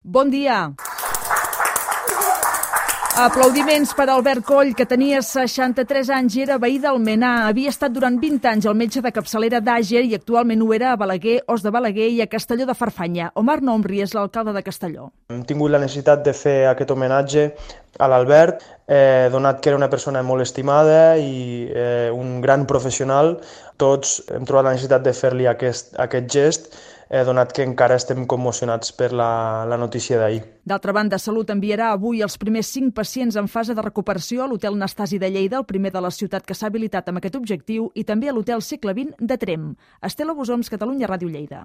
Bon dia. Aplaudiments per Albert Coll, que tenia 63 anys i era veí d'Almenar. Havia estat durant 20 anys el metge de capçalera d'Àger i actualment ho era a Balaguer, Os de Balaguer i a Castelló de Farfanya. Omar Nomri és l'alcalde de Castelló. Hem tingut la necessitat de fer aquest homenatge a l'Albert, donat que era una persona molt estimada i un gran professional. Tots hem trobat la necessitat de fer-li aquest gest, donat que encara estem commocionats per la notícia d'ahir. D'altra banda, Salut enviarà avui els primers 5 pacients en fase de recuperació a l'Hotel Nastasi de Lleida, el primer de la ciutat que s'ha habilitat amb aquest objectiu, i també a l'Hotel Segle XX de Tremp. Estela Bosoms, Catalunya Ràdio Lleida.